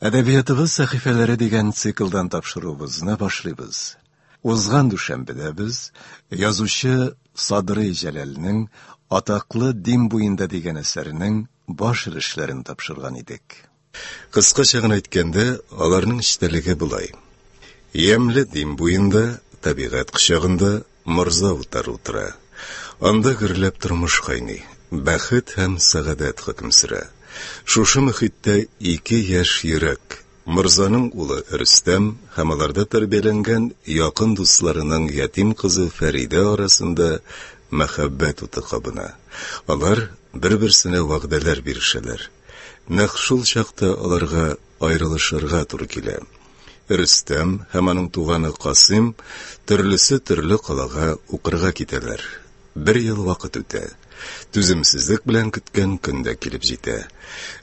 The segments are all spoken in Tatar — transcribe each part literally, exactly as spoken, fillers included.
Әдәбиятыбыз сәхифәләре дигән циклдан тапшыруыбызны башлыйбыз. Узган дүшәмбедә без язучы Садрый Җәләлнең атаклы Дим буенда дигән әсәренең баш өлешләрен тапшырган идек. Кыскача гына әйткәндә, аларның эчтәлеге болай. Ямьле Дим буенда, табигать кочагында Морза утары утыра. Анда гөрләп тормыш кайный, бәхет һәм сәгадәт хөкем сөрә. Шушы мөхиттә ике яшь йөрәк, Морзаның улы Рөстәм һәм аларда тәрбияләнгән якын дусларының ятим кызы Фәридә арасында мәхәббәт уты кабына. Алар бер-берсенә вәгъдәләр бирешәләр. Нәкъ шул чакта аларга аерылышырга туры килә. Рөстәм һәм аның туганы Касыйм төрлесе төрле калага укырга китәләр. Бер ел вакыт үтә. Түземсезлек белән көткән көн дә килеп җитә.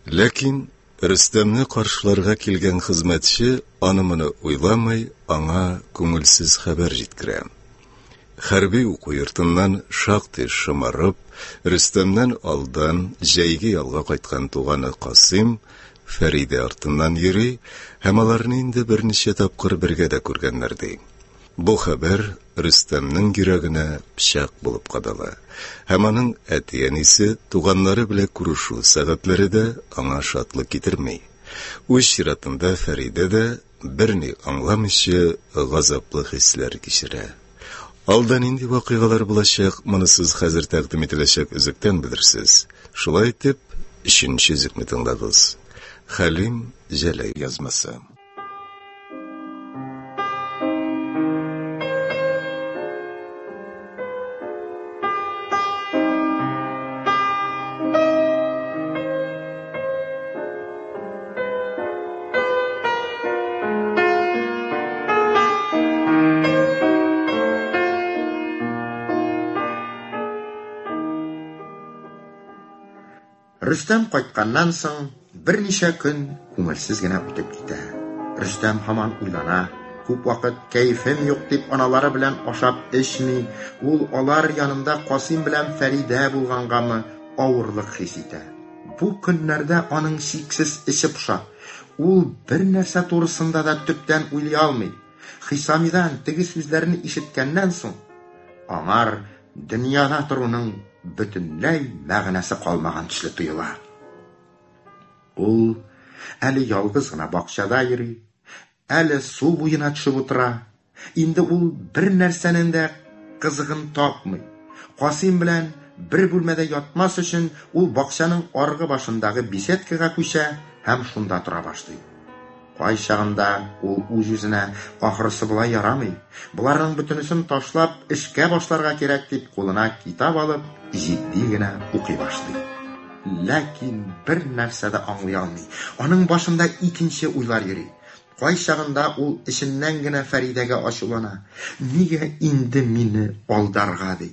Ләкин Рөстәмне каршыларга килгән хезмәтче аны-моны уйламый, аңа күңелсез хәбәр җиткерә. Хәрби уку йортыннан шактый шомарып, Рөстәмнән алдан җәйге ялга кайткан туганы Касыйм Фәридә артыннан йөри һәм аларны инде берничә тапкыр бергә дә күргәннәр ди. Бу хәбәр Рөстәмнең йөрәгенә пычак булып кадала. Һәм аның әти-әнисе, туганнары белән күрешү сәгатьләре дә аңа шатлык китерми. Үз чиратында Фәридә дә берни аңламыйча газаплы хисләр кичерә. Алда нинди вакыйгалар булачак, моны сез хәзер тәкъдим ителәчәк өзектән белерсез. Шулай итеп, өченче өзекне тыңлагыз. Хәлим Җәләй язмасы. Рөстәм кайтканнан соң берничә көн күңелсез генә үтеп китә. Рөстәм һаман уйлана, күп вакыт кәефем юк дип аналары белән ашап эчми, ул алар янында Касыйм белән Фәридә булгангамы авырлык хис итә. Бу көннәрдә аның чиксез эче поша. Ул бер нәрсә турысында да төптән уйлый алмый. Хисамидан теге сүзләрне ишеткәннән соң аңар дөньяда торуның бөтенләй мәгънәсе калмаган төсле тоела. Ул әле ялгыз гына бакчада йөри, әле су буена төшеп утыра. Инде ул бер нәрсәнең дә кызыгын тапмый. Касыйм белән бер бүлмәдә ятмас өчен ул бакчаның аргы башындагы беседкага күчә һәм шунда тора башлый. Кайчагында ул үз-үзенә ахрысы болай ярамый, боларның бөтенесен ташлап эшкә башларга кирәк дип кулына китап алып җитди генә укый башлый. Ләкин бер нәрсә дә аңлый алмый. Аның башында икенче уйлар йөри. Кайчагында ул эченнән генә Фәридәгә ачулана. Нигә инде мине алдарга ди.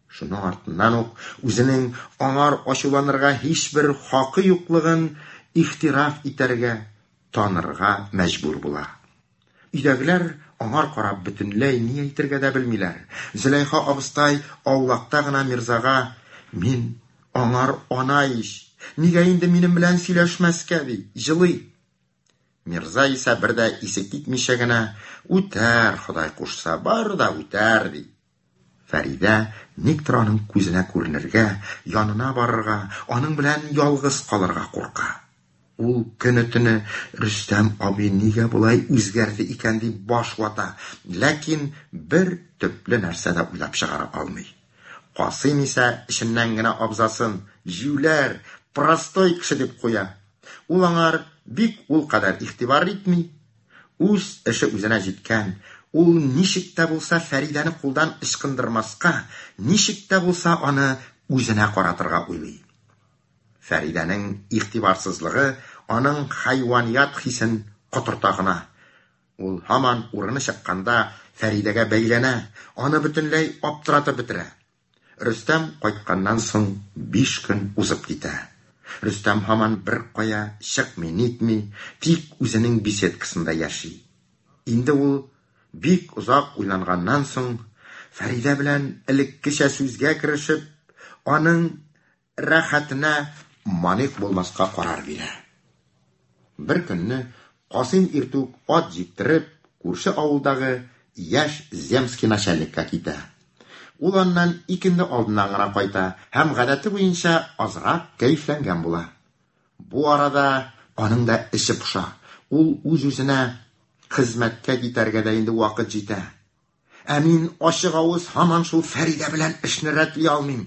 Шуның артыннан ук үзенең аңар ачуланырга һичбер хакы юклыгын ихтираф итәргә, танырга мәҗбүр була. Өйдәгеләр аңар карап бөтенләй ни әйтергә дә белмиләр. Зөләйха абыстай аулакта гына Мирзага: "Мин аңар ана ич, нигә инде минем белән сөйләшмәскә?" ди, җылый. Мирза исә бер дә исе китмичә генә: "Үтәр, Ходай кушса, бар да үтәр", ди. Фәридә никтер аның күзенә күренергә, янына барырга, аның белән ялгыз калырга курка. Ул көне-төне Рөстәм абый нигә болай үзгәрде икән дип баш вата, ләкин бер төпле нәрсә дә уйлап чыгара алмый. Касыйм исә эченнән генә абзасын җүләр, простой кеше дип куя. Ул аңар бик ул кадәр игътибар итми. Үз эше үзенә җиткән. Ул ничек тә булса Фәридәне кулдан ычкындырмаска, ничек тә булса аны үзенә каратырга уйлый. Фәридәнең игътибарсызлыгы аның хайваният хисен котырта гына. Ул һаман урыны чыкканда Фәридәгә бәйләнә, аны бөтенләй аптыратып бетерә. Рөстәм кайтканнан соң биш көн узып китә. Рөстәм һаман бер кая чыкмый, нитми, тик үзенең беседкасында яши. Инде ул бик озак уйланганнан соң Фәридә белән элеккечә сүзгә керешеп, аның рәхәтенә маник булмаска карар бирә. Бер көнне Касыйм иртүк ат җиктереп, күрше авылдагы яшь земский начальникка китә. Ул аннан икенде алдыннан гына кайта һәм гадәте буенча азрак кәефләнгән була. Бу арада аның да эче поша. Ул үз-үзенә хезмәткә китәргә дә инде вакыт җитә. Ә мин ачык авыз һаман шул Фәридә белән эшне рәтли алмыйм.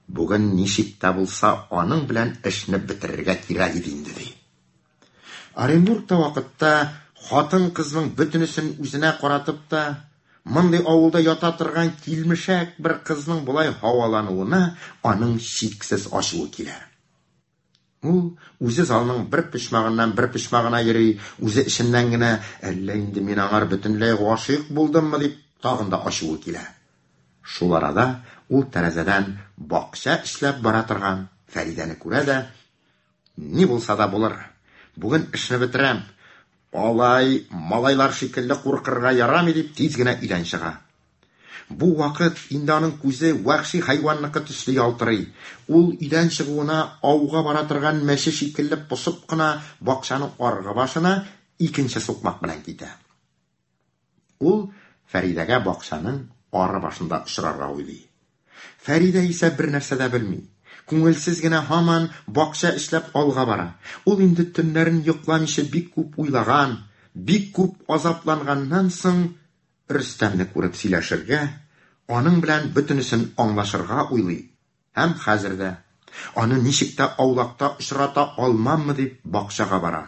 Бүген ничек тә булса аның белән эшне бетерергә кирәк иде инде, ди. Оренбургта вакытта хатын-кызның бөтенесен үзенә каратып та, мондый авылда ята торган килмешәк бер кызның болай һавалануына аның чиксез ачуы килә. Ул үзе залның бер почмагыннан бер почмагына йөри, үзе эченнән генә әллә инде мин аңар бөтенләй гашыйк булдыммы дип тагын да ачуы килә. Шул арада ул тәрәзәдән бакча эшләп бара торган Фәридәне күрә дә, ни булса да булыр, бүген эшне бетерәм, алай малайлар шикелле куркырга ярамый дип тиз генә өйдән чыга. Бу вакыт инде аның күзе вәхши хайванныкы төсле ялтырый. Ул өйдән чыгуына ауга бара торган мәче шикелле посып кына бакчаның аргы башына икенче сукмак белән китә. Ул Фәридәгә бакчаның ары башында очрарга уйлый. Фәридә исә бер нәрсә дә белми. Күңелсез генә һаман бакча эшләп алга бара. Ул инде төннәрен йокламыйча бик күп уйлаган, бик күп азапланганнан соң Рөстәмне күреп сөйләшергә, аның белән бөтенесен аңлашырга уйлый. Һәм хәзер дә аны ничек тә аулакта очрата алмаммы дип бакчага бара.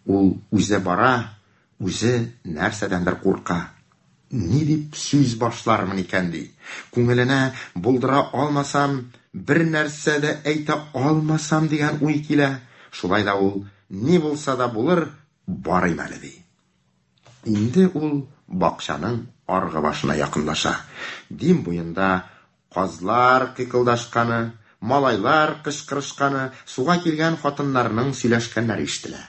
Ул үзе бара, үзе нәрсәдәндер курка. Ни дип сүз башлармын икән ди. Күңеленә булдыра алмасам, бер нәрсә дә әйтә алмасам дигән уй килә. Шулай да ул ни булса да булыр, барыйм әле ди. Инде ул бакчаның аргы башына якынлаша. Дим буенда казлар кыйкылдашканы, малайлар кычкырышканы, суга килгән хатыннарның сөйләшкәннәре ишетелә.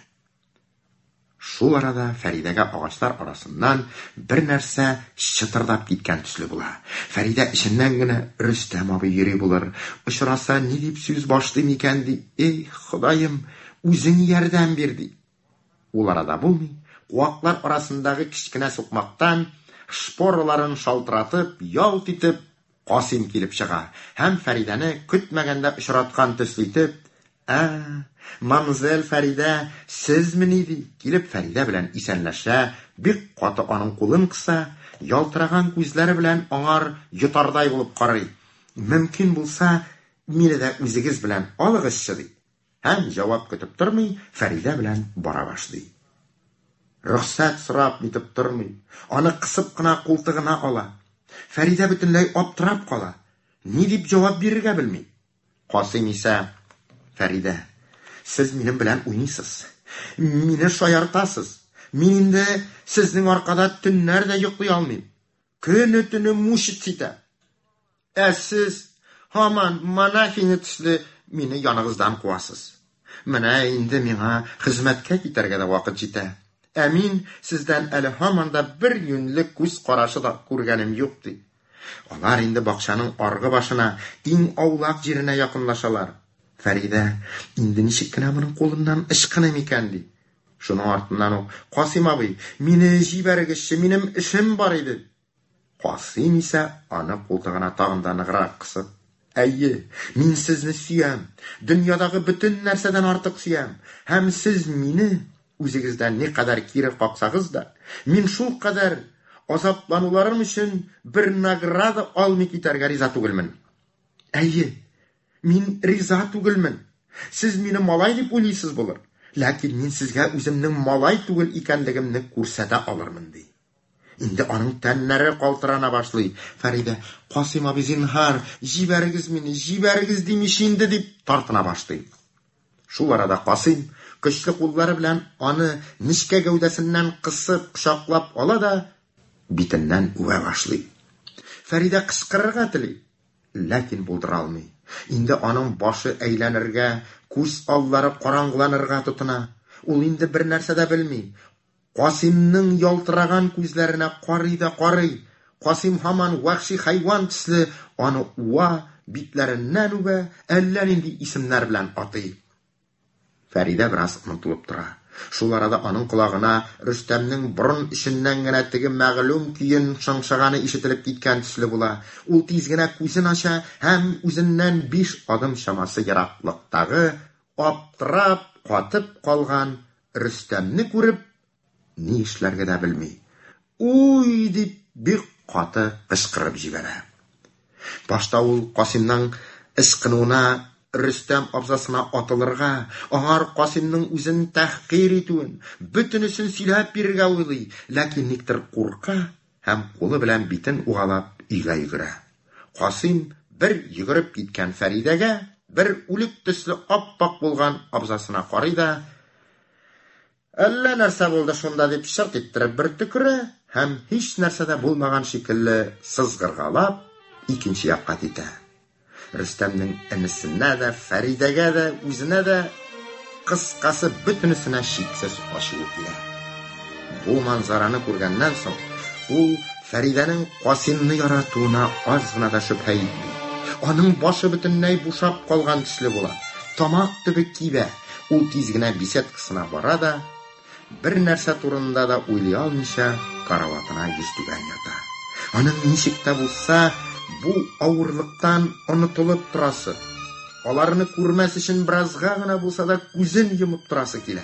Шул арада Фәридәгә агачлар арасыннан бер нәрсә чытырдап киткән төсле була. Фәридә эченнән генә Рөстәм абый йөри булыр. Очраса ни дип сүз башлыйм икән ди. Эй, Ходаем, үзең ярдәм бир ди. Ул арада булмый, куаклар арасындагы кечкенә сукмактан шпораларын шалтыратып, ялт итеп Касыйм килеп чыга һәм Фәридәне көтмәгәндә очраткан төсле итеп, "Ә, мамзель Фәридә, сезмени?" ди. Килеп Фәридә белән исәнләшә, бик каты аның кулын кыса, ялтыраган күзләре белән аңар йотардай булып карый. Мөмкин булса, мине дә үзегез белән алыгызчы ди. Һәм җавап көтеп тормый, Фәридә белән бара башлый. Рөхсәт сорап нитеп тормый, аны кысып кына култыгына ала. Фәридә бөтенләй аптырап кала. Ни дип җавап бирергә белми. Касыйм исә, Фәридә, сез минем белән уйныйсыз. Мине шаяртасыз. Мин инде сезнең аркада төннәр дә йоклый алмыйм. Көне төне мучить итә. Ә сез һаман монахиня төсле мине яныгыздан куасыз. Менә инде миңа хезмәткә китәргә дә вакыт җитә. Ә мин сездән әле һаман да бер юньле күз карашы да күргәнем юк ди. Алар инде бакчаның аргы башына, иң аулак җиренә якынлашалар. Фәридә, инде ничек кенә моның кулыннан ычкыным икән ди. Шуның артыннан ук, Касыйм абый, мине җибәрегезче, минем эшем бар иде. Касыйм исә аны култыгына тагын да ныграк кысып, Әйе, мин сезне сөям, дөньядагы бөтен нәрсәдән артык сөям, һәм сез мине үзегездән никадәр кире каксагыз да, мин шул кадәр азаплануларым өчен бер награда алмый китәргә риза түгелмен. Әйе, мин риза түгелмен. Сез мине малай дип уйлыйсыз булыр, ләкин мин сезгә үземнең малай түгел икәнлегемне күрсәтә алырмын ди. Инде аның тәннәре калтырана башлый. Фәридә, Касыйм абый, зинһар, җибәрегез мине, җибәрегез димеш инде дип тартына башлый. Шул арада Касыйм көчле куллары белән аны нечкә гәүдәсеннән кысып, кочаклап ала да битеннән үбә башлый. Фәридә кычкырырга тели, ләкин булдыра алмый. Инде аның башы әйләнергә, күз аллары караңгыланырга тотына. Ул инде бер нәрсә дә белми. Касыймның ялтыраган күзләренә карый да карый. Касыйм һаман вәхши хайван төсле аны уа, битләреннән үбә, әллә нинди исемнәр белән атый. Фәридә бераз онытылып тора. Шул арада аның колагына Рөстәмнең борын эченнән генә теге мәгълүм көен шыңшыганы ишетелеп киткән төсле була. Ул тиз генә күзен ача һәм үзеннән биш адым чамасы ераклыктагы аптырап катып калган Рөстәмне күреп, ни эшләргә дә белми. "Уй!" дип бик каты кычкырып җибәрә. Башта ул Касыймның ычкынуына Рөстәм абзасына атылырга, аңар Касыймның үзен тәхкир итүен, бөтенесен сөйләп бирергә уйлый, ләкин никтер курка һәм кулы белән битен угалап өйгә йөгерә. Касыйм бер йөгереп киткән Фәридәгә, бер үлек төсле ап-ак булган абзасына карый да, "Әллә нәрсә булды шунда" дип шырт иттереп бер төкерә һәм һич нәрсә дә булмаган шикелле сызгыргалап икенче якка китә. Рөстәмнең энесенә дә, Фәридәгә дә, үзенә дә, кыскасы бөтенесенә шиксез ачуы килә. Бу манзараны күргәннән соң, ул Фәридәнең Касыймны яратуына аз гына да шөбһә итми. Аның башы бөтенләй бушап калган төсле була. Тамак төбе кибә. Ул тиз генә беседкасына бара да, бер нәрсә турында да уйлый алмыйча, караватына йөзтүбән ята. Аның ничек тә булса бу авырлыктан онытылып торасы, аларны күрмәс өчен беразга гына булса да күзен йомып торасы килә.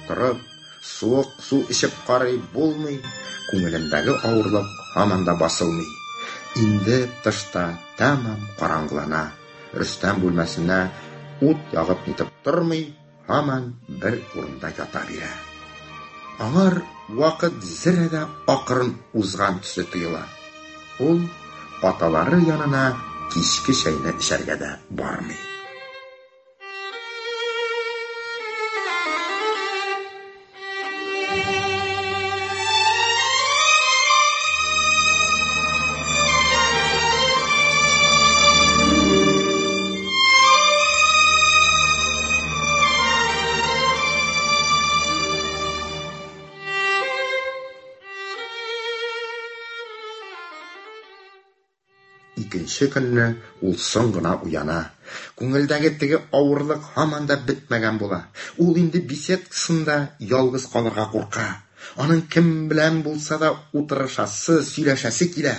Торып, суык су эчеп карый, булмый, күңелендәге авырлык һаман да басылмый. Инде тышта тәмам караңгылана. Рөстәм бүлмәсенә ут ягып нитеп тормый, һаман бер урында ята бирә. Аңар вакыт зерә дә акрын узган төсле тоела. Ул аталары янына кичке чәйне эчәргә дә бармый. Икенче көнне ул соң гына уяна. Күңелдәге теге авырлык һаман да бетмәгән була. Ул инде беседкасында ялгыз калырга курка. Аның кем белән булса да утырышасы, сөйләшәсе килә.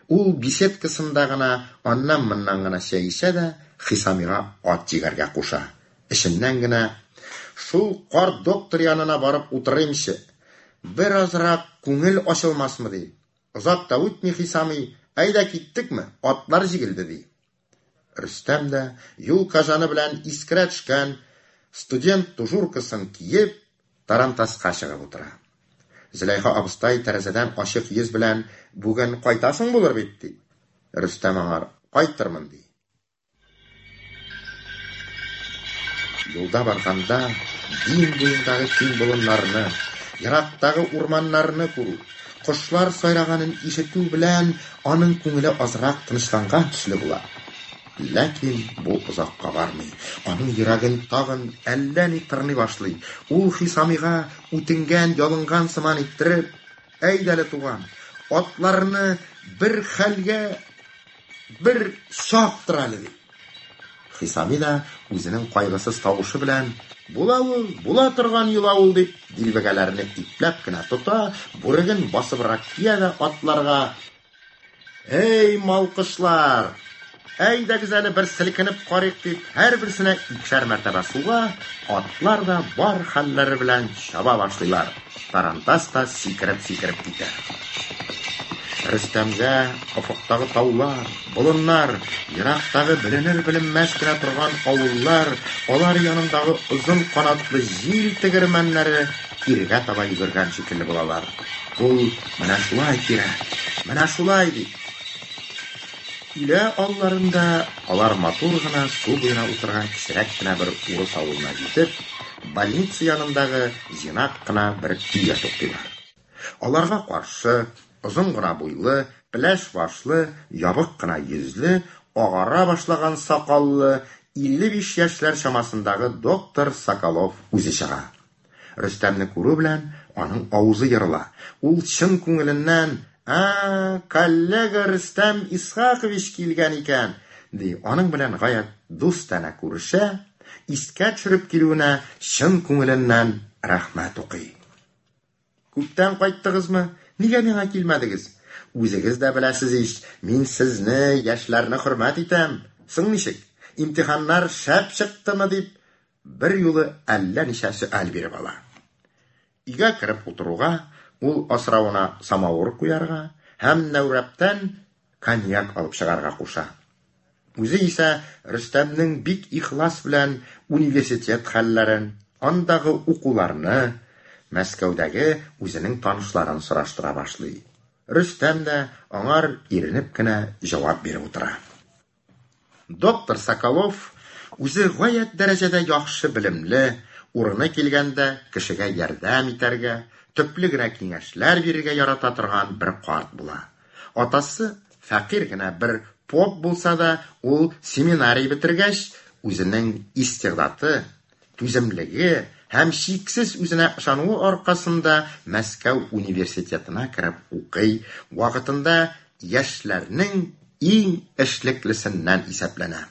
Ул беседкасында гына аннан-моннан гына чәй эчә дә Хисамига ат җигәргә куша. Эченнән генә шул карт доктор янына барып утырыймчы, беразрак күңел ачылмасмы ди. Озак та үтми Хисами: "Әйдә киттекме? Атлар җигелде" ди. Рөстәм дә юл кажаны белән искерә төшкән студент тужуркасын киеп, тарантаска чыгып утыра. Зөләйха абыстай тәрәзәдән ачык йөз белән: "Бүген кайтасың булыр бит" ди. Рөстәм аңар: "Кайтырмын" ди. Юлда барганда Дим буендагы киң болыннарны, ерактагы урманнарны күрү, кошлар сайраганын ишетү белән аның күңеле азрак тынычланган төсле була. Ләкин бу озакка бармый. Аның йөрәген тагын әллә ни тырный башлый. Ул Хисамига үтенгән, ялынган сыман иттереп: "Әйдә әле, туган, атларны бер хәлгә бер чаптыр әле" ди. Хисами да үзенең кайгысыз тавышы белән: "Була ул, була торган йола ул" дип, дилбегәләрне ипләп кенә тота, бүреген басыбрак кия дә атларга: "Эй, малкышлар, әйдәгез әле бер селкенеп карыйк" дип, һәрберсенә икешәр мәртәбә суга, атлар да бар хәлләре белән чаба башлыйлар. Тарантас та сикереп-сикереп китә. Рөстәмгә офыктагы таулар, болыннар, ерактагы беленер-беленмәс кенә торган авыллар, алар янындагы озын канатлы җил тегермәннәре кирегә таба йөгергән шикелле булалар. Ул менә шулай кирәк, менә шулай ди. Өйлә алларында алар матур гына су буена утырган кечерәк кенә бер урыс авылына җитеп, больница янындагы җыйнак кына бер өйгә туктыйлар. Аларга каршы озын гына буйлы, пеләш башлы, ябык кына йөзле, агара башлаган сакаллы, илле биш яшьләр чамасындагы доктор Соколов үзе чыга. Рөстәмне күрү белән аның авызы ерыла. Ул чын күңеленнән: "А, коллега Рөстәм Исхакович килгән икән" ди. Аның белән гаять дустанә күрешә, искә төшереп килүенә чын күңеленнән рәхмәт укый. Күптән кайттыгызмы? Нигә миңа килмәдегез? Үзегез дә беләсез ич, мин сезне, яшьләрне хөрмәт итәм. Соң ничек? Имтиханнар шәп чыктымы дип, бер юлы әллә ничә сөаль биреп ала. Өйгә кереп утыруга, ул асравына самавыр куярга һәм нәүрәптән коньяк алып чыгарга куша. Үзе исә Рөстәмнең бик ихлас белән университет хәлләрен, андагы укуларны, Мәскәүдәге үзенең танышларын сораштыра башлый. Рөстәм дә аңар иренеп кенә җавап биреп утыра. Доктор Соколов үзе гаять дәрәҗәдә яхшы белемле, урыны килгәндә кешегә ярдәм итәргә, төпле генә киңәшләр бирергә ярата торган бер карт була. Атасы фәкыйрь генә бер поп булса да, ул семинарий бетергәч, үзенең истигъдаты, түземлеге һәм чиксез үзенә ышануы аркасында Мәскәү университетына кереп укый, вакытында яшьләрнең иң эшлеклесеннән исәпләнә.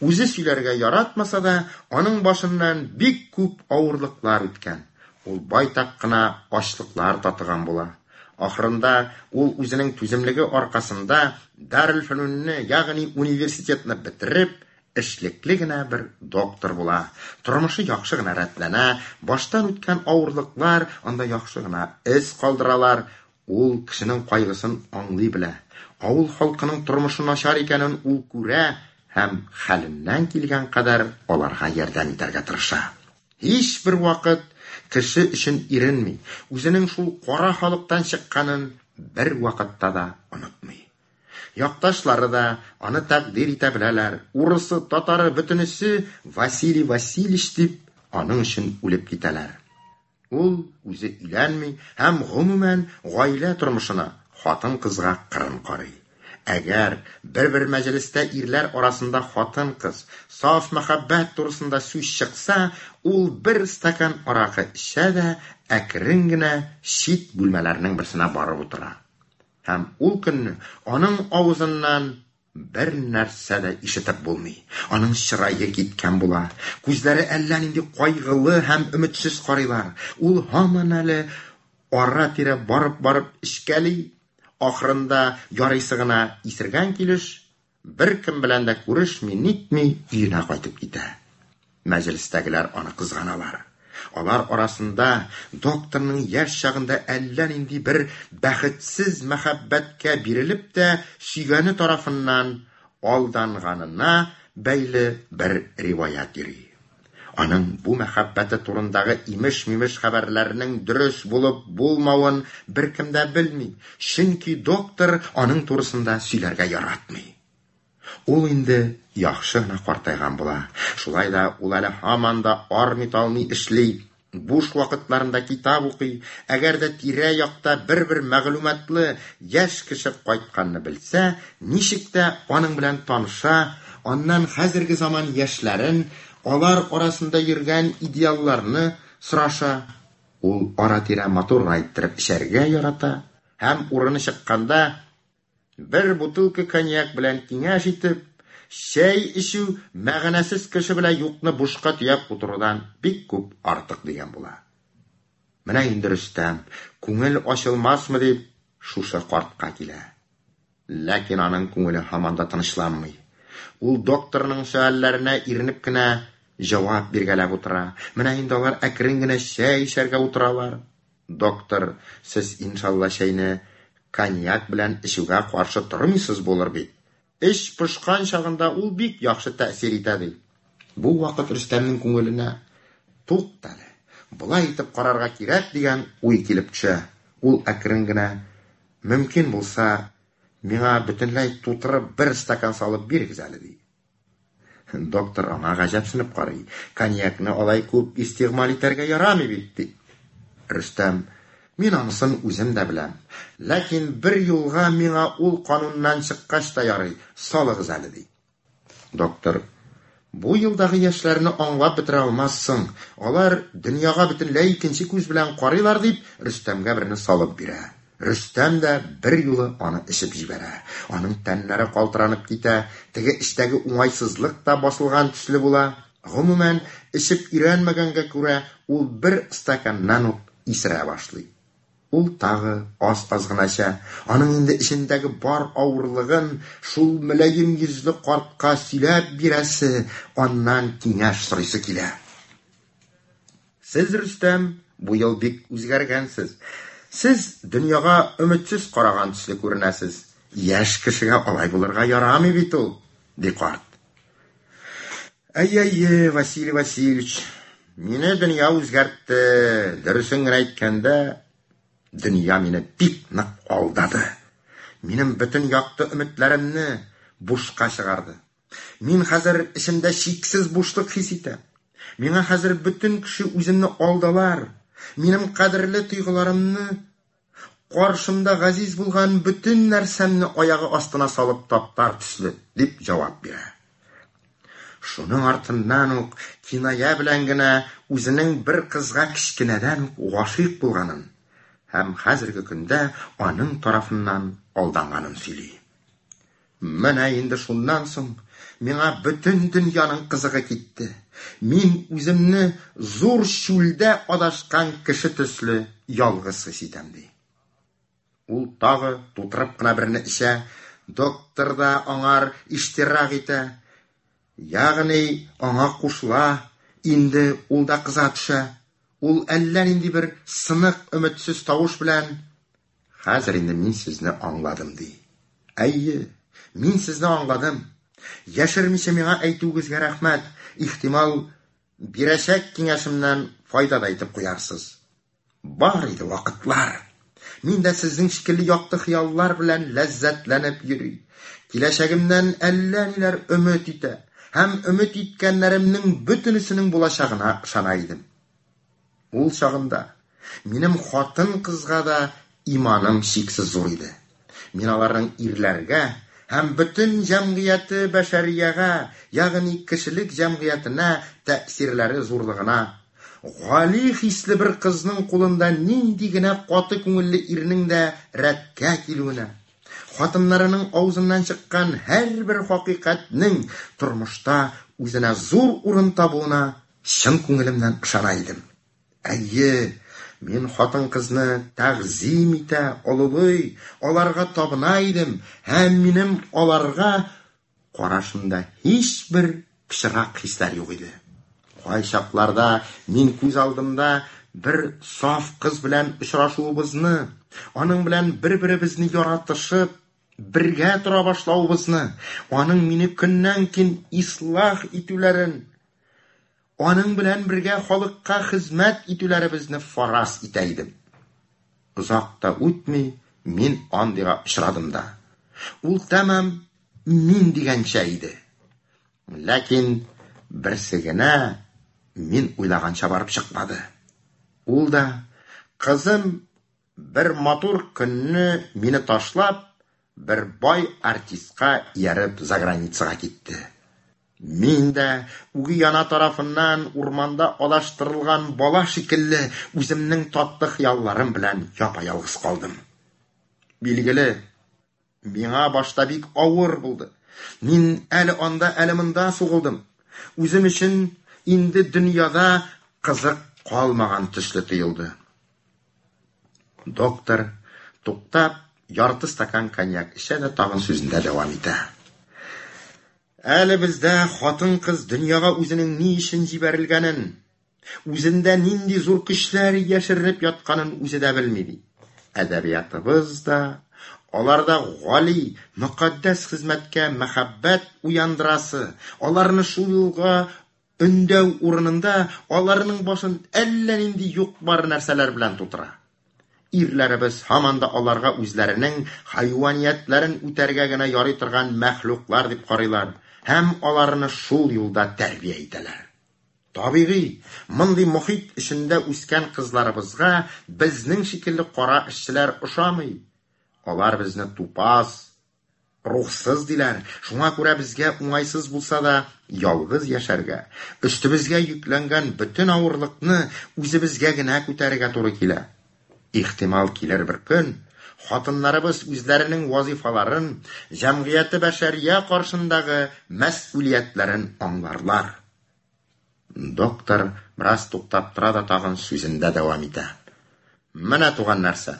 Үзе сөйләргә яратмаса да, аның башыннан бик күп авырлыклар үткән. Ул байтак кына ачлыклар татыган була. Ахырында ул үзенең түземлеге аркасында Дарелфөнүнне, ягъни университетны бетереп, эшлекле генә бер доктор була. Тормышы яхшы гына рәтләнә, баштан үткән авырлыклар анда яхшы гына эз калдыралар. Ул кешенең кайгысын аңлый белә. Авыл халкының тормышы начар икәнен ул күрә һәм хәленнән килгән кадәр аларга ярдәм итәргә тырыша. Һич бер вакыт кеше өчен иренми, үзенең шул кара халыктан чыкканын бер вакытта да онытмый. Якташлары да аны тәкъдир итә беләләр. Урысы, татары бөтенесе Василий Васильевич дип аның өчен үлеп китәләр. Ул үзе өйләнми һәм гомумән гаилә тормышына, хатын-кызга кырын карый. Әгәр бер-бер мәҗлестә ирләр арасында хатын-кыз, саф мәхәббәт турысында сүз чыкса, ул бер стакан аракы эчә дә әкрен генә чит бүлмәләрнең берсенә барып утыра. Һәм ул көнне аның авызыннан бер нәрсә дә ишетеп булмый. Аның чырае киткән була. Күзләре әллә нинди кайгылы һәм өметсез карыйлар. Ул һаман әле ара-тирә барып-барып эчкәли. Ахырында ярыйсы гына исергән килеш, бер кем белән дә күрешми, нитми өенә кайтып китә. Мәҗлестәгеләр аны кызганалар. Алар арасында докторның яшь чагында әллә нинди бер бәхетсез мәхәббәткә бирелеп тә сөйгәне тарафыннан алданганына бәйле бер риваять йөри. Аның бу мәхәббәте турындагы имеш-мимеш хәбәрләрнең дөрес булып булмавын беркем дә белми, чөнки доктор аның турысында сөйләргә яратмый. Ул инде яхшы гына картайган була. Шулай да ул әле һаман да армый-талмый эшли, буш вакытларында китап укый. Әгәр дә тирә-якта бер-бер мәгълүматлы яшь кеше кайтканны белсә, ничек тә аның белән таныша, аннан хәзерге заман яшьләрен, алар арасында йөргән идеалларны сораша. Ул ара-тирә матур гына иттереп эчәргә ярата һәм урыны чыкканда бер бутылка коньяк белән киңәш итеп, чәй эчү мәгънәсез кеше белән юкны бушка төяп утырудан бик күп артык дигән була. Менә инде Рөстәм, күңел ачылмасмы дип, шушы картка килә. Ләкин аның күңеле һаман да тынычланмый. Ул докторның сөальләренә иренеп кенә җавап биргәләп утыра. Менә инде алар әкрен генә чәй эчәргә утыралар. Доктор, сез иншалла чәйне коньяк белән эчүгә каршы тормыйсыз булыр бит. Эч пошкан чагында ул бик яхшы тәэсир итә ди. Бу вакыт Рөстәмнең күңеленә туктале, болай итеп карарга кирәк дигән уй килеп төшә. Ул әкрен генә, мөмкин булса, миңа бөтенләй тутырып бер стакан салып бирегез әле ди. Доктор аңа гаҗәпсенеп карый. Коньякны алай күп истигъмаль итәргә ярамый бит ди. Рөстәм, мин анысын үзем дә беләм. Ләкин бер юлга миңа ул кануннан чыккач та ярый, салыгыз әле ди. Доктор, бу елдагы яшьләрне аңлап бетерә алмассың. Алар дөньяга бөтенләй икенче күз белән карыйлар дип, Рөстәмгә берне салып бирә. Рөстәм дә бер юлы аны эчеп җибәрә. Аның тәннәре калтыранып китә, теге эчтәге уңайсызлык та басылган төсле була. Гомумән, эчеп өйрәнмәгәнгә күрә, ул бер стаканнан ук исерә башлый. Ул тагы аз-аз гына эчә. Аның инде эчендәге бар авырлыгын шул мөлаем йөзле картка сөйләп бирәсе, аннан киңәш сорыйсы килә. Сез, Рөстәм, бу ел бик үзгәргәнсез. Сез дөньяга өметсез караган төсле күренәсез. Яшь кешегә алай булырга ярамый бит ул, ди карт. Әй-әй, Василий Васильевич, мине дөнья үзгәртте. Дөресен генә әйткәндә, дөнья мине бик нык алдады. Минем бөтен якты өметләремне бушка чыгарды. Мин хәзер эчемдә чиксез бушлык хис итәм. Миңа хәзер бөтен кеше үземне алдалар. Минем кадерле тойгыларымны, каршымда газиз булган бөтен нәрсәмне аягы астына салып таптар төсле, дип җавап бирә. Шуның артыннан ук киная белән генә үзенең бер кызга кечкенәдән үк гашыйк булганын һәм хәзерге көндә аның тарафыннан алданганын сөйли. Менә инде шуннан соң миңа бөтен дөньяның кызыгы китте. Мин үземне зур чүлдә адашкан кеше төсле ялгыз хис итәм, ди. Ул тагы тутырып кына берне эчә, доктор да аңар иштирак итә, ягъни аңа кушыла, инде ул да кыза төшә. Ул әллә нинди бер сынык, өметсез тавыш белән: "Хәзер инде мин сезне аңладым", ди. Әйе, мин сезне аңладым. Яшермичә миңа әйтүегезгә рәхмәт. Ихтимал, бирәчәк киңәшемнән файда да итеп куярсыз. Бар иде вакытлар. Мин дә сезнең шикелле якты хыяллар белән ләззәтләнеп йөри, киләчәгемнән әллә ниләр өмет итә һәм өмет иткәннәремнең бөтенесенең булачагына ышана идем. Ул чагында минем хатын-кызга да иманым чиксез зур иде. Мин аларның ирләргә һәм бөтен җәмгыяте бәшәриягә, ягъни кешелек җәмгыятенә тәэсирләре зурлыгына, гали хисле бер кызның кулында нинди генә каты күңелле ирнең дә рәткә килүенә, хатыннарының авызыннан чыккан һәрбер хакыйкатьнең тормышта үзенә зур урын табуына чын күңелемнән ышана идем. Әйе, мин хатын-кызны тәгъзим итә, олылый, аларга табына идем, һәм минем аларга карашымда һичбер пычрак хисләр юк иде. Кайчакларда мин күз алдымда бер саф кыз белән очрашуыбызны, аның белән бер-беребезне яратышып, бергә тора башлавыбызны, аның мине көннән-көн ислах итүләрен, аның белән бергә халыкка хезмәт итүләребезне фараз итә идем. Озак та үтми, мин андыйга очрадым да. Ул тәмам мин дигәнчә иде. Ләкин берсе генә мин уйлаганча барып чыкмады. Ул да, кызым, бер матур көнне мине ташлап, бер бай артистка ияреп заграницага китте. Мин дә үги ана тарафыннан урманда адаштырылган бала шикелле үземнең татлы хыялларым белән япа-ялгыз калдым. Билгеле, миңа башта бик авыр булды. Мин әле анда, әле монда сугылдым. Үзем өчен инде дөньяда кызык калмаган төсле тоелды. Доктор, туктап, ярты стакан коньяк эчә дә тагын сүзендә дәвам итә. Әле бездә хатын-кыз дөньяга үзенең ни өчен җибәрелгәнен, үзендә нинди зур көчләр яшеренеп ятканын үзе дә белми, ди. Әдәбиятыбыз да аларда гали, мөкатдәс хезмәткә мәхәббәт уяндырасы, аларны шул юлга өндәү урынында аларның башын әллә нинди юк-бар нәрсәләр белән тутыра. Ирләребез һаман да аларга үзләренең хайваниятләрен үтәргә генә ярый торган мәхлуклар дип карыйлар һәм аларны шул юлда тәрбия итәләр. Табигый, мондый мохит эчендә үскән кызларыбызга безнең шикелле кара эшчеләр ошамый. Алар безне тупас, рухсыз диләр. Шуңа күрә безгә уңайсыз булса да ялгыз яшәргә, өстебезгә йөкләнгән бөтен авырлыкны үзебезгә генә күтәрергә туры килә. Ихтимал килер бер көн, хатыннарыбыз үзләренең вазифаларын, җәмгыяте бәшәрия каршындагы мәсьүлиятләрен аңларлар. Доктор бераз туктап тора да тагын сүзендә дәвам итә. Менә туган нәрсә.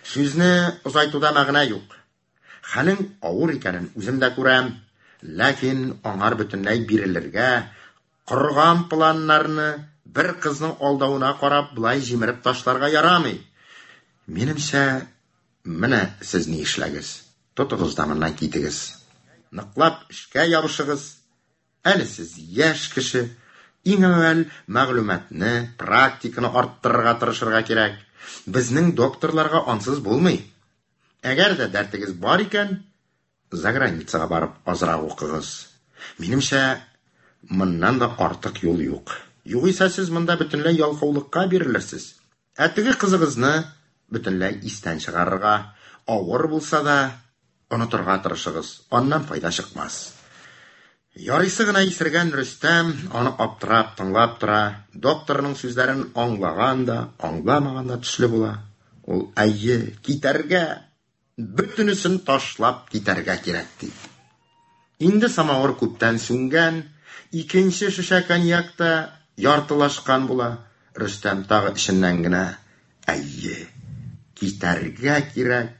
Сүзне озайтуда мәгънә юк. Хәлең авыр икәнен үзем дә күрәм, ләкин аңар бөтенләй бирелергә, корган планнарны бер кызның алдавына карап болай җимереп ташларга ярамый. Минемчә, менә сез ни эшләгез. Тотыгыз да моннан китегез. Ныклап эшкә ябышыгыз. Әле сез яшь кеше. Иң әүвәл мәгълүматны, практиканы арттырырга тырышырга кирәк. Безнең докторларга ансыз булмый. Әгәр дә дәртегез бар икән, заграницага барып азрак укыгыз. Минемчә, моннан да артык юл юк. Югыйсә сез монда бөтенләй ялкаулыкка бирелерсез. Ә теге кызыгызны бөтенләй истән чыгарырга, авыр булса да онытырга тырышыгыз. Аннан файда чыкмас. Ярыйсы гына исергән Рөстәм аны аптырап тыңлап тора. Докторның сүзләрен аңлаган да, аңламаган да төсле була. Ул әйе, китәргә, бөтенесен ташлап китәргә кирәк ди. Инде самавыр күптән сүнгән, икенче шешә коньяк та яртылашкан була. Рөстәм тагы эченнән генә әйе, китәргә кирәк,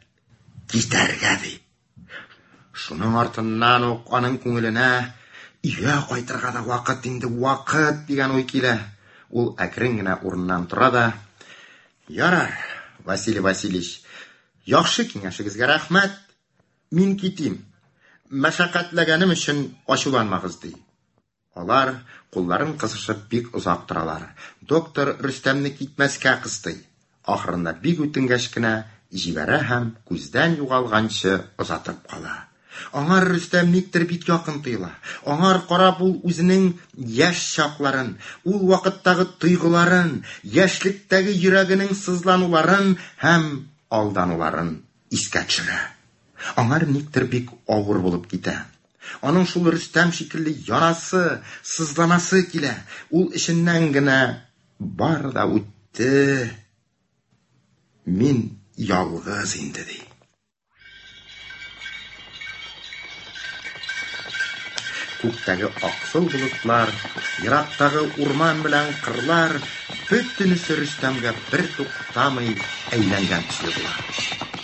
китәргә ди. Шуның артыннан ук аның күңеленә өйгә кайтырга да вакыт инде, вакыт дигән уй килә. Ул әкрен генә урыннан тора да, ярар, Василий Васильевич, яхшы киңәшегезгә рәхмәт. Мин китим. Мәшәкатьләгәнем өчен ачуланмагыз ди. Алар кулларын кысышып бик озак торалар. Доктор Рөстәмне китмәскә кыстый. Ахырында бик үтенгәч кенә җибәрә һәм күздән югалганчы озатып кала. Аңар Рөстәм никтер бик якын тоела. Аңар карап ул үзенең яшь чакларын, ул вакыттагы тойгыларын, яшьлектәге йөрәгенең сызлануларын һәм алдануларын искә төшерә. Аңар никтер бик авыр булып китә. Аның шул Рөстәм шикелле янасы, сызланасы килә. Ул эченнән генә бар да үтте. Мин ялгыз инде ди. Күктәге аксыл болытлар, ерактагы урман белән кырлар бөтенесе Рөстәмгә бер туктамый әйләнгән төсле була.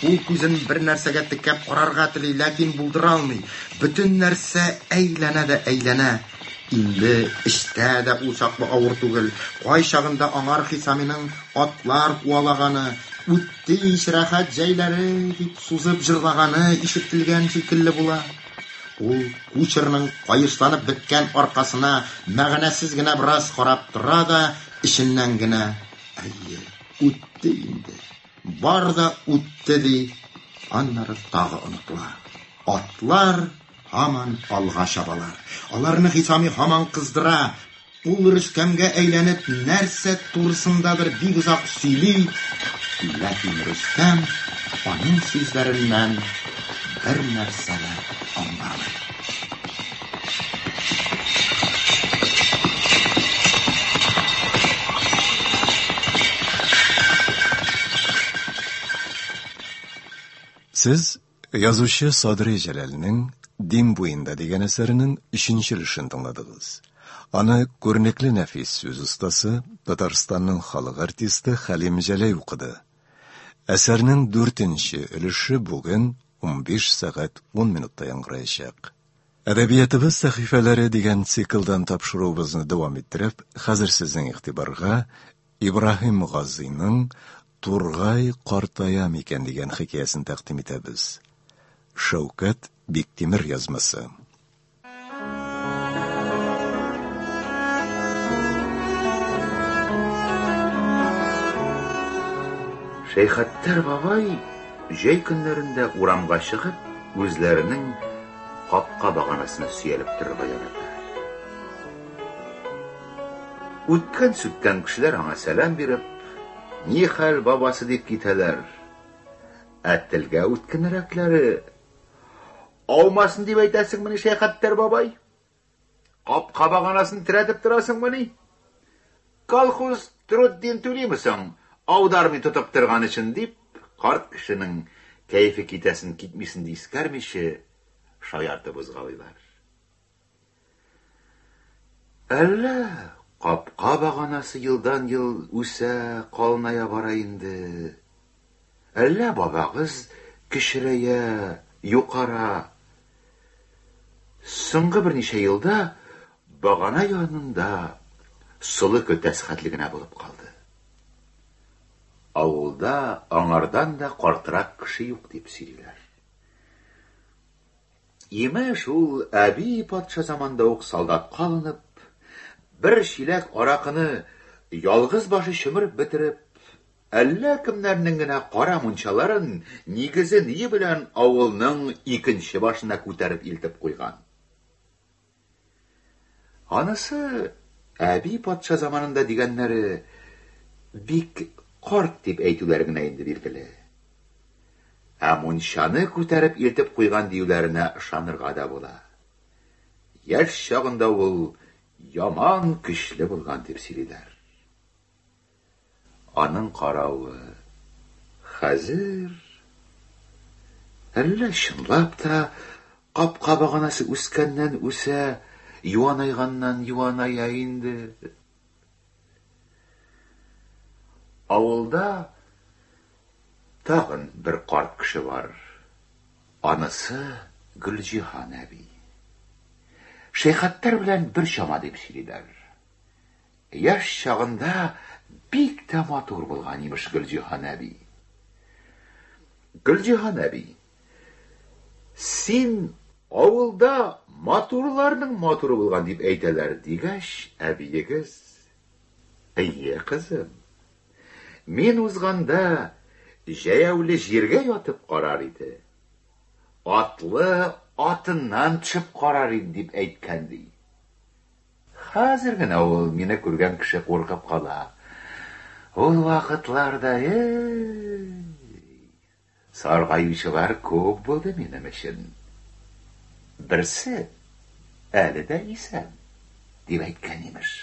Ул күзен бер нәрсәгә текәп карарга тели, ләкин булдыра алмый. Бөтен нәрсә әйләнә дә әйләнә. Инде эчтә дә ул чаклы авыр түгел. Кайчагында аңар Хисаминың атлар куалаганы, үтте ич рәхәт җәйләре дип сузып җырлаганы ишетелгән шикелле була. Ул кучерның кайышланып беткән аркасына мәгънәсез генә бераз карап тора да, эченнән генә әйе, үтте инде. Бар да үтте ди. Аннары тагы онытыла. Атлар һаман алга чабалар. Аларны Хисами һаман кыздыра. Ул Рөстәмгә әйләнеп нәрсә турысындадыр бик озак сөйли. Ләкин Рөстәм аның сүзләреннән бер нәрсә дә аңламый. Сез язучы Садри Җәләлнең Дим буенда дигән әсәренең өченче өлешен тыңладыгыз. Аны күренекле нәфис сүз остасы, Татарстанның халык артисты Хәлим Җәләй укыды. Әсәрнең дүртенче өлеше бүген унбиш сәгать ун минутта яңгыраячак. Әдәбиятыбыз сәхифәләре дигән циклдан тапшыруыбызны дәвам иттереп, хәзер сезнең игътибарга Ибраһим Газиның Тургай картая микән дигән хикәясен тәкъдим итәбез. Шәүкәт Биктимер язмасы. Шәйхаттар бабай җәй көннәрендә урамга чыгып, үзләренең капка баганасына сөялеп торырга ярата. Үткән-сүткән кешеләр аңа сәлам биреп, ни хәл бабасы дип китәләр. Ә телгә үткенрәкләре аумасын дип әйтәсеңмени, Шәйхаттар бабай? Капка баганасын терәтеп торасыңмыни? Колхоз труддин түлиме соң, аудармый тотып торган өчен дип, карт кешенең кәефе китәсен китмисен дип искәрмичә шаяртып узгалыйлар. Әллә Капка баганасы елдан-ел үсә, калыная бара инде. Әллә бабагыз кечерәя, юкара. Соңгы берничә елда багана янында солы көлтәсе хәтле генә булып калды. Авылда аңардан да картрак кеше юк дип сөйлиләр. Имеш, ул әби патша заманда ук солдатка алынып, бер чиләк аракыны ялгыз башы чөмереп бетереп, әллә кемнәрнең генә кара мунчаларын нигезе ние белән авылның икенче башына күтәреп илтеп куйган. Анысы әби патша заманында дигәннәре бик карт дип әйтүләре генә инде билгеле. Ә мунчаны күтәреп илтеп куйган диюләренә ышанырга да була. Яшь чагында ул яман көчле булган дип сөйлиләр. Аның каравы хәзер әллә чынлап та капка баганасы үскәннән үсә, юанайганнан юаная инде. Авылда тагын бер карт кеше бар. Анысы Гөлҗиһан әби. Шәйхаттар белән бер чама дип сөйлиләр. Яшь чагында бик тә матур булган имеш Гөлҗиһан әби. Гөлҗиһан әби, син авылда матурларның матуры булган дип әйтәләр дигәч, әбиегез: "Әйе, кызым. Мин узганда җәяүле җиргә ятып карар иде. Атлы атыннан төшеп карар иде" дип әйткән ди. Хәзер генә ул мине күргән кеше куркып кала. Ул вакытларда эй, саргаючылар күп булды минем өчен. Берсе әле дә исән дип әйткән имеш.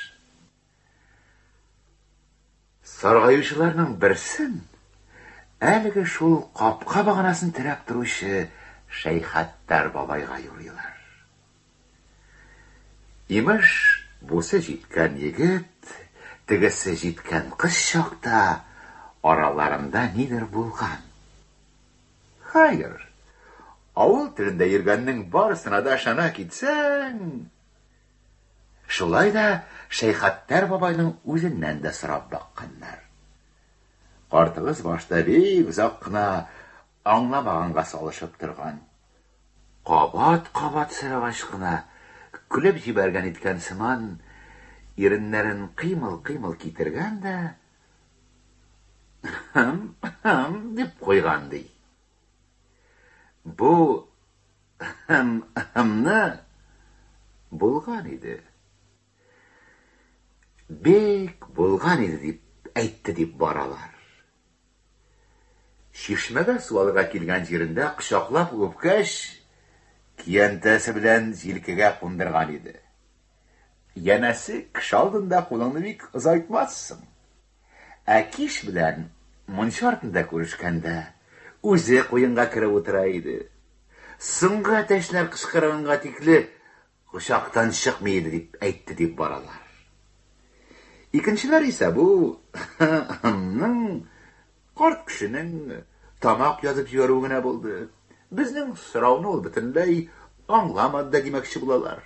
Саргаючыларның берсен әлеге шул капка баганасын терәп торучы Шәйхаттар бабайга юрыйлар. Имеш, бусы җиткән егет, тегесе җиткән кыз чакта араларында нидер булган. Хәер, авыл телендә йөргәннең барысына да ышана китсәң, шулай да Шәйхаттар бабайның үзеннән дә сорап бакканнар. Картыгыз башта бик озак кына аңламаганга салышып торган. Кабат-кабат сорагач кына көлеп җибәргән иткән сыман, иреннәрен кыймыл-кыймыл китергән дә "Хм, хм" дип куйган ди. Бу "хм, хм"ны булган иде. Бик булган иде дип әйтте дип баралар. Чишмәгә су алырга килгән җирендә кочаклап үпкәч, киянтәсе белән җилкәгә кундырган иде. Янәсе, кеше алдында кулыңны бик озайтмассың. Ә кич белән мунча артында күрешкәндә үзе куенга кереп утыра иде. Соңгы әтәчләр кычкырганга тикле кочактан чыкмый иде дип әйтте дип баралар. Икенчеләр исә бу ның карт кешенең тамак язып җибәрүе генә булды. Безнең сорауны ул бөтенләй аңламады да димәкче булалар.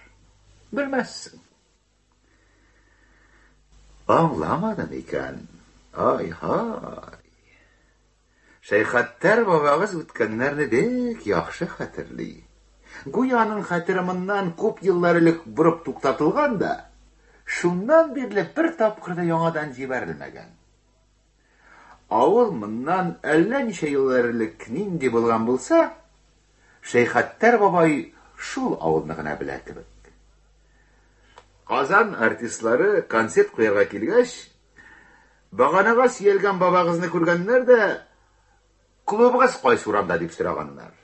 Белмәссең. Аңламады микән? Ай-һай. Шәйхаттар бабагыз үткәннәрне бик яхшы хәтерли. Гүя аның хәтере моннан күп еллар элек борып туктатылган да, шуннан бирле бер тапкыр да яңадан җибәрелмәгән. Авыл моннан әллә ничә еллар элек нинди булган булса, Шәйхаттар бабай шул авылны гына белә кебек. Казан артистлары концерт куярга килгәч, баганага сөялгән бабагызны күргәннәр дә, клубыгыз кайсы урамда дип сораганнар.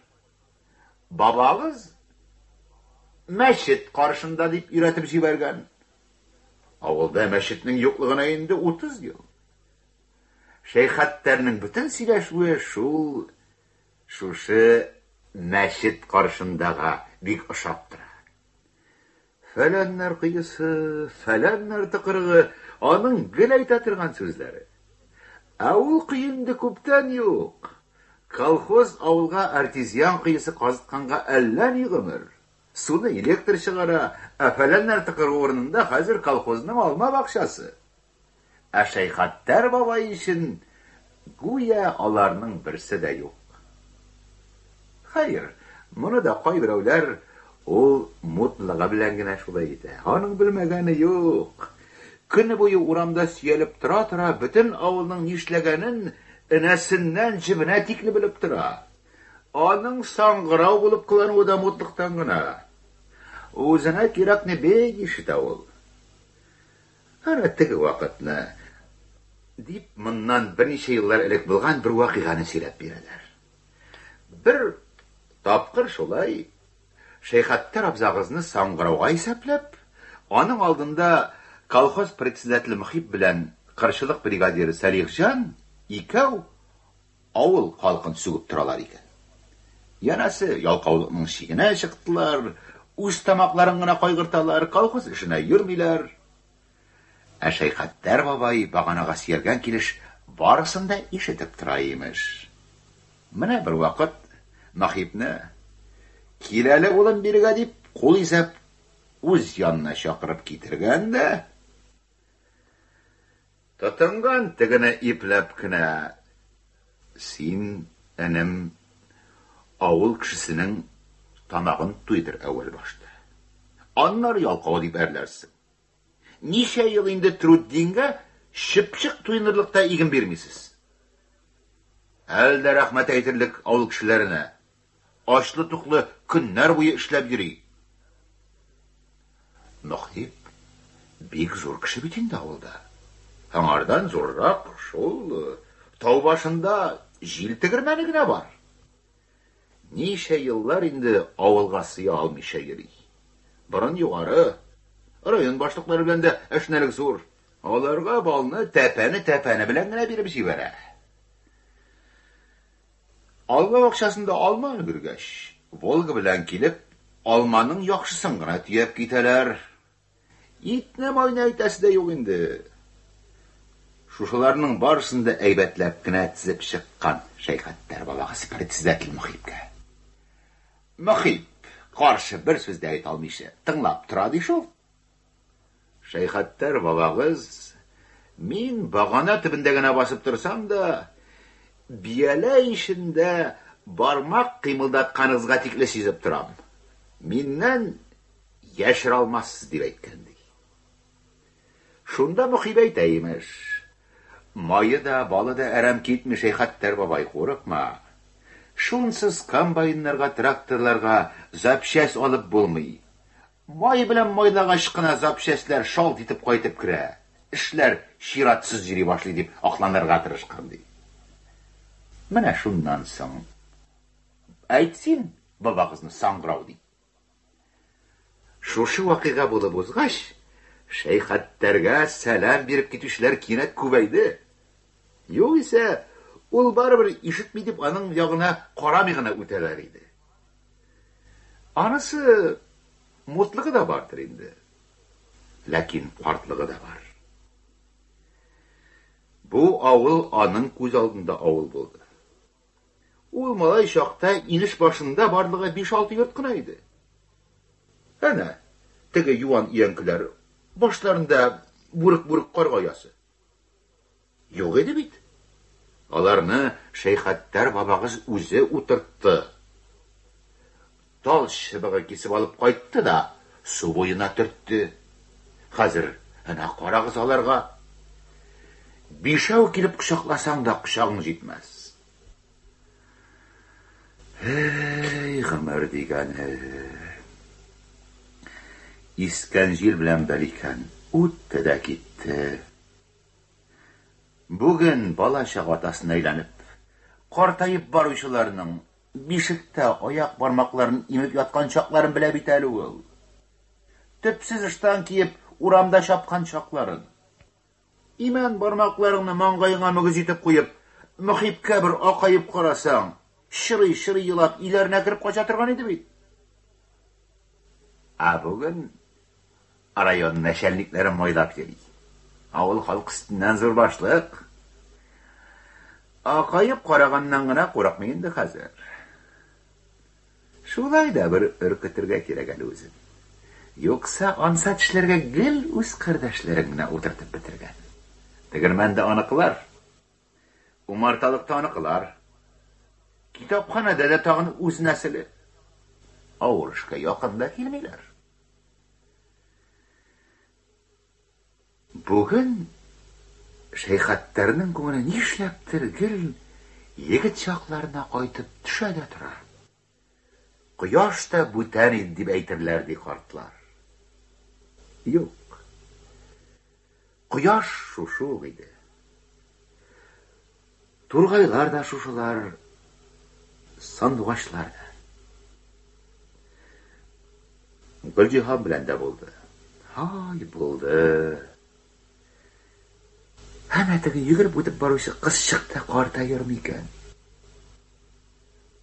Бабагыз мәчет каршында дип өйрәтеп җибәргән. Авылда мәчетнең юклыгына инде утыз ел. Шәйхаттарның бөтен сөйләшүе шул шушы мәчет каршындага бик ошап тора. Фәләннәр коесы, фәләннәр тыкрыгы аның гел әйтә торган сүзләре. Ә ул кое инде күптән юк. Колхоз авылга артезиан коесы казытканга әллә ни гомер. Суны электр чыгара, ә фәләннәр тыкрыгы урынында хәзер колхозның алма бакчасы. Ә Шәйхаттар бабай өчен гүя аларның берсе дә юк. Хәер, моны да кайберәүләр ул мутлыгы белән генә шулай итә. Аның белмәгәне юк. Көне буе урамда сөялеп тора-тора бөтен авылның нишләгәнен энәсеннән җебенә тикле белеп тора. Аның саңгырау булып кылануы да мутлыктан гына. Үзенә кирәкне бик ишетә ул. Әнә теге вакытны дип моннан берничә еллар элек булган бер вакыйганы сөйләп бирәләр. Бер тапкыр шулай Шәйхаттар абзагызны саңгырауга исәпләп, аның алдында колхоз председателе Мөхип белән кырчылык бригадиры Салихҗан икәү авыл халкын сүгеп торалар икән. Янәсе ялкаулыкның чигенә чыктылар, үз тамакларын гына кайгырталар, колхоз эшенә йөрмиләр. Ә Шәйхаттар бабай баганага сөялгән килеш барысын да ишетеп тора имеш. Менә бер вакыт Мөхипне "Кил әле, улым, бирегә" дип кул изәп үз янына чакырып китергән дә тотынган тегене ипләп кенә: "Син, энем, авыл кешесенең тамагын туйдыр әүвәл башта. Аннары ялкау дип әрләрсең. Ничә ел инде Труддингә чыпчык туйнырлык та иген бирмисез. Әле дә рәхмәт әйтерлек авыл кешеләренә. Ачлы-туклы көннәр буе эшләп йөри." Мөхип бик зур кеше бит инде авылда. Аңардан зуррак шул тау башында җил тегермәне генә бар. Ничә еллар инде авылга сыя алмыйча йөри. Борын югары, район башлыклары белән дә әшнәлек зур. Аларга балны тәпәне-тәпәне белән генә биреп җибәрә. Алма бакчасында алма өлгергәч, Волга белән килеп, алманың яхшысын гына төяп китәләр. Итне майны әйтәсе дә юк инде. Шушыларның барысын да әйбәтләп кенә тезеп чыккан Шәйхаттар бабагыз председатель Мөхипкә. Мөхип каршы бер сүз дә әйтә алмыйча тыңлап тора ди шул. Шәйхаттар бабагыз: "Мин багана төбендә генә басып торсам да, бияләй эчендә бармак кыймылдатканыгызга тикле сизеп торам. Миннән яшерә алмассыз", дип әйткән ди. Шунда Мөхип әйтә имеш: "Мае да, балы да әрәм китми, Шәйхаттар бабай, курыкма. Шунсыз комбайннарга, тракторларга запчасть алып булмый. Май белән майлагач кына запчастьләр шалт итеп кайтып керә. Эшләр чиратсыз йөри башлый", дип акланырга тырышкан ди. Менә шуннан соң әйт син бабагызны саңгырау дип. Шушы вакыйга булып узгач, Шәйхаттарга сәлам биреп китүчеләр кинәт күбәйде. Югыйсә, ул барыбер ишетми дип аның ягына карамый гына үтәләр иде. Анысы мутлыгы да бардыр инде. Ләкин картлыгы да бар. Бу авыл аның күз алдында авыл булды. Ул малай чакта инеш башында барлыгы биш-алты йорт кына иде. Әнә, теге юан өянкеләр, башларында бүрек-бүрек карга оясы. Юк иде бит. Аларны Шәйхаттар бабагыз үзе утыртты. Тал чыбыгы кисеп алып кайтты да су буена төртте. Хәзер әнә карагыз аларга. Бишәү килеп кочакласаң да кочагың җитмәс. Эй, гомер дигәне. Искән җил белән бер икән, үтте дә китте. Бүген бала-чага атасына әйләнеп, картаеп баручыларның бишектә аяк бармакларын имеп яткан чакларын белә бит әле ул. Төпсез ыштан киеп урамда чапкан чакларын. Имән бармакларыңны маңгаеңа мөгез итеп куеп, Мөхипкә бер акаеп карасаң, чырый-чырый елап өйләренә кереп кача торган иде бит. Ә бүген Район начальникларын майлап йөри. Авыл халкы өстеннән зур башлык. Акаеп караганнан гына курыкмый инде хәзер. Шулай да бер өркетергә кирәк әле үзен. Юкса ансат эшләргә гел үз кардәшләрен генә утыртып бетергән. Тегермәндә аныкылар, умарталыкта аныкылар, китапханәдә дә тагын үз нәселе. Авыр эшкә якын да килмиләр. Бүген Шәйхаттарның күңеле нишләптер гел егет чакларына кайтып төшә дә тора. Кояш та бүтән иде дип әйтерләр ди картлар. Юк. Кояш шушы ук иде. Тургайлар да шушылар, сандугачлар да. Гөлҗиһан белән дә булды. Һай, булды. Әнә теге йөгереп үтеп баручы кызчык та картаермы икән?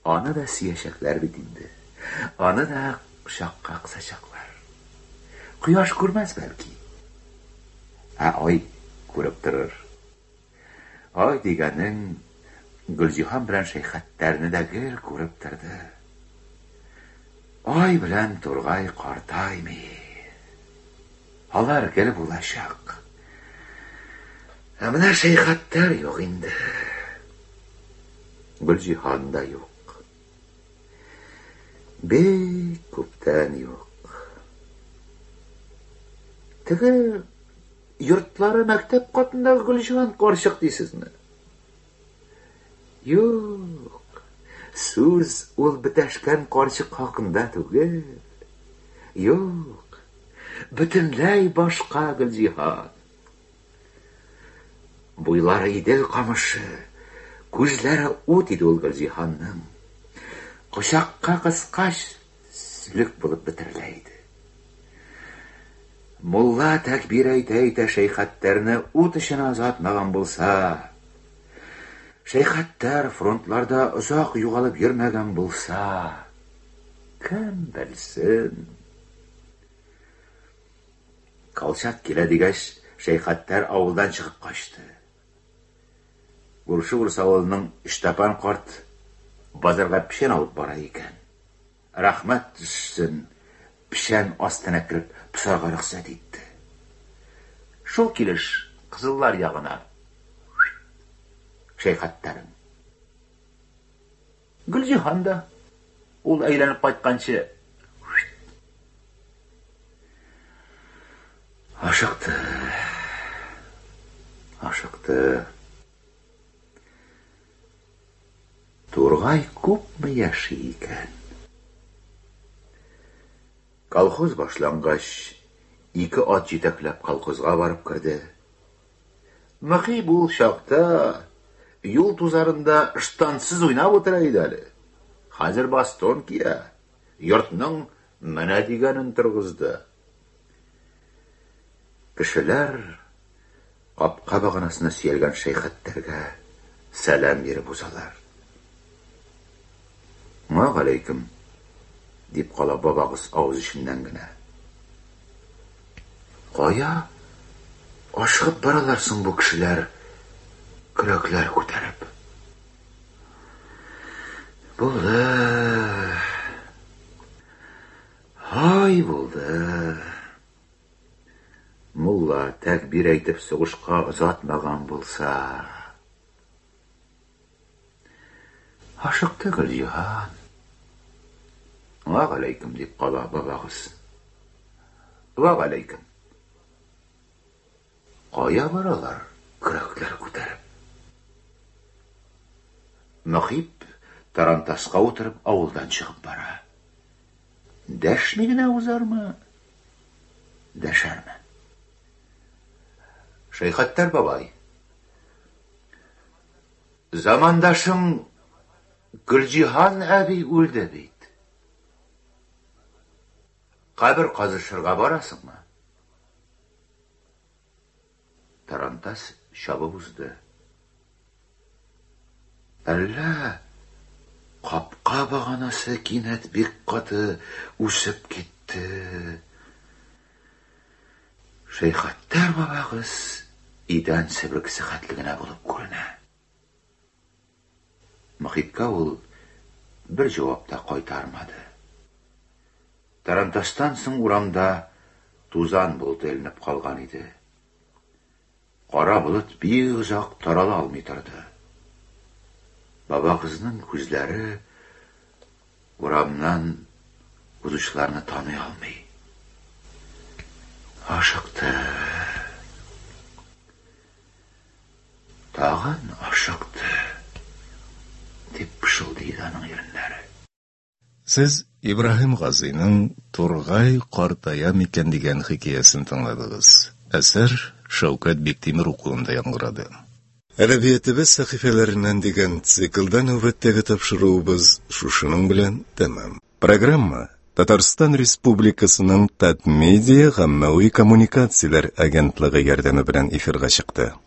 Аны да сөячәкләр бит инде. Аны да кочакка кысачаклар. Кояш күрмәс бәлки. Ә ай күреп торыр. Ай дигәнең Гөлҗиһан белән Шәйхаттарны да гел күреп торды. Ай белән тургай картаймый. Алар гел булачак. Ә менә Шәйхаттар юк инде. Гөлҗиһан да юк. Бик күптән юк. Теге йортлары мәктәп катындагы Гөлҗиһан карчык дисезме? Юк. Сүз ул бетәшкән карчык хакында түгел. Юк. Бөтенләй башка Гөлҗиһан. Буйлары Идел камышы, күзләре ут иде ул Гөлҗиһанның. Кочакка кыскач сөлек булып бетерелә иде. Мулла тәкбир әйтә-әйтә Шәйхаттарны ут эченә озатмаган булса, Шәйхаттар фронтларда озак югалып йөрмәгән булса, кем белсен? Колчак килә дигәч, Шәйхаттар авылдан чыгып качты. Күрше урыс авылының Иштапан карт базарга печән алып бара икән. Рәхмәт төшсен, печән астына кереп посарга рөхсәт итте. Шул килеш кызыллар ягына Шәйхаттарым. Гөлҗиһан да ул әйләнеп кайтканчы ашыкты. Ашыкты. Тургай күпме яши икән? Колхоз башлангач, ике ат җитәкләп колхозга барып керде. Мөхип ул чакта юл тузарында ыштансыз уйнап утыра иде әле. Хәзер бастон кия. Йортның менә дигәнен торгызды. Кешеләр капка баганасына сөялгән Шәйхаттарга сәлам биреп узалар. Вәгаләйкем, дип кала бабагыз авыз эченнән генә. Кая ашыгып баралар соң бу кешеләр, көрәкләр күтәреп? Булды. Һай, булды. Мулла тәкбир әйтеп сугышка озатмаган булса. Ашыкты Гөлҗиһан. Вәгаләйкем, дип кала бабагыз. Вәгаләйкем. Кая баралар көрәкләр күтәреп? Мөхип тарантаска утырып авылдан чыгып бара. Дәшми генә узармы? Дәшәрме? Шәйхаттар бабай, замандашың Гөлҗиһан әби үлде бит. Кабер казышырга барасыңмы? Тарантас чабып узды. Әллә капка баганасы кинәт бик каты үсеп китте. Шәйхаттар бабагыз идән себеркесе хәтле генә булып күренә. Мөхитка ул бер җавап та кайтармады. Тарантастан соң урамда тузан болыты эленеп калган иде. Кара болыт бик озак тарала алмый торды. Бабагызның күзләре урамнан узучыларны таный алмый. Ашыкты. Тагын ашыкты, дип пышылдый аның иреннәре. Сез Ибраһим Газыйның Тургай картая микән дигән хикәясен тыңладыгыз. Әсәр Шәүкәт Биктимер укуында яңгырады. Әдәбиятыбыз сәхифәләреннән дигән циклда нәүбәттәге тапшыруыбыз шушының белән тәмам. Программа Татарстан Республикасының Татмедиа гаммәви коммуникацияләр агентлыгы ярдәме белән эфирга чыкты.